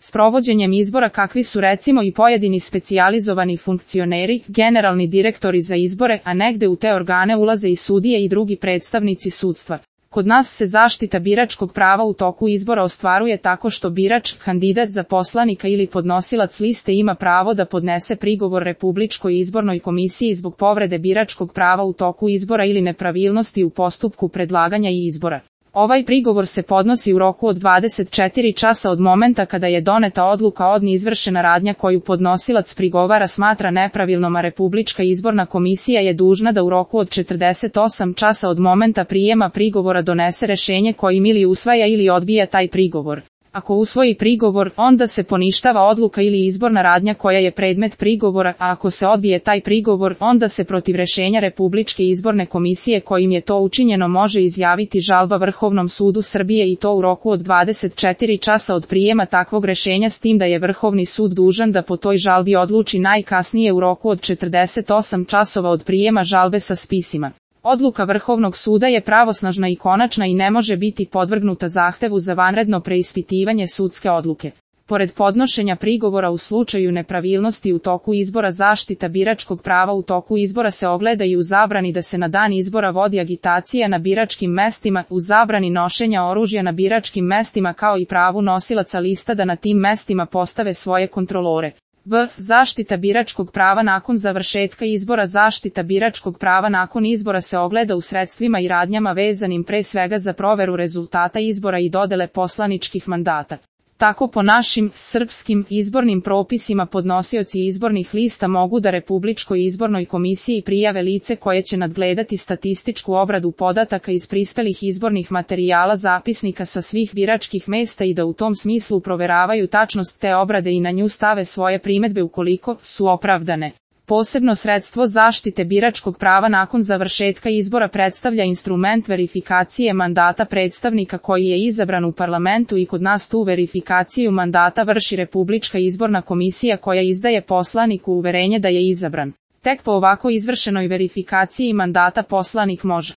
sprovođenjem izbora kakvi su recimo i pojedini specijalizovani funkcioneri, generalni direktori za izbore, a negde u te organe ulaze i sudije i drugi predstavnici sudstva. Kod nas se zaštita biračkog prava u toku izbora ostvaruje tako što birač, kandidat za poslanika ili podnosilac liste ima pravo da podnese prigovor Republičkoj izbornoj komisiji zbog povrede biračkog prava u toku izbora ili nepravilnosti u postupku predlaganja i izbora. Ovaj prigovor se podnosi u roku od 24 časa od momenta kada je doneta odluka o izvršena radnja koju podnosilac prigovara smatra nepravilnom, a Republička izborna komisija je dužna da u roku od 48 časa od momenta prijema prigovora donese rešenje kojim ili usvaja ili odbija taj prigovor. Ako usvoji prigovor, onda se poništava odluka ili izborna radnja koja je predmet prigovora, a ako se odbije taj prigovor, onda se protiv rešenja Republičke izborne komisije kojim je to učinjeno može izjaviti žalba Vrhovnom sudu Srbije i to u roku od 24 časa od prijema takvog rešenja, s tim da je Vrhovni sud dužan da po toj žalbi odluči najkasnije u roku od 48 časova od prijema žalbe sa spisima. Odluka Vrhovnog suda je pravosnažna i konačna i ne može biti podvrgnuta zahtevu za vanredno preispitivanje sudske odluke. Pored podnošenja prigovora u slučaju nepravilnosti u toku izbora, zaštita biračkog prava u toku izbora se ogleda i u zabrani da se na dan izbora vodi agitacija na biračkim mestima, u zabrani nošenja oružja na biračkim mestima kao i pravu nosilaca lista da na tim mestima postave svoje kontrolore. Zaštita biračkog prava nakon završetka izbora. Zaštita biračkog prava nakon izbora se ogleda u sredstvima i radnjama vezanim pre svega za proveru rezultata izbora i dodele poslaničkih mandata. Tako po našim, srpskim, izbornim propisima podnosioci izbornih lista mogu da Republičkoj izbornoj komisiji prijave lice koje će nadgledati statističku obradu podataka iz prispelih izbornih materijala zapisnika sa svih biračkih mesta i da u tom smislu proveravaju tačnost te obrade i na nju stave svoje primedbe ukoliko su opravdane. Posebno sredstvo zaštite biračkog prava nakon završetka izbora predstavlja instrument verifikacije mandata predstavnika koji je izabran u parlamentu i kod nas tu verifikaciju mandata vrši Republička izborna komisija koja izdaje poslaniku uverenje da je izabran. Tek po ovako izvršenoj verifikaciji mandata poslanik može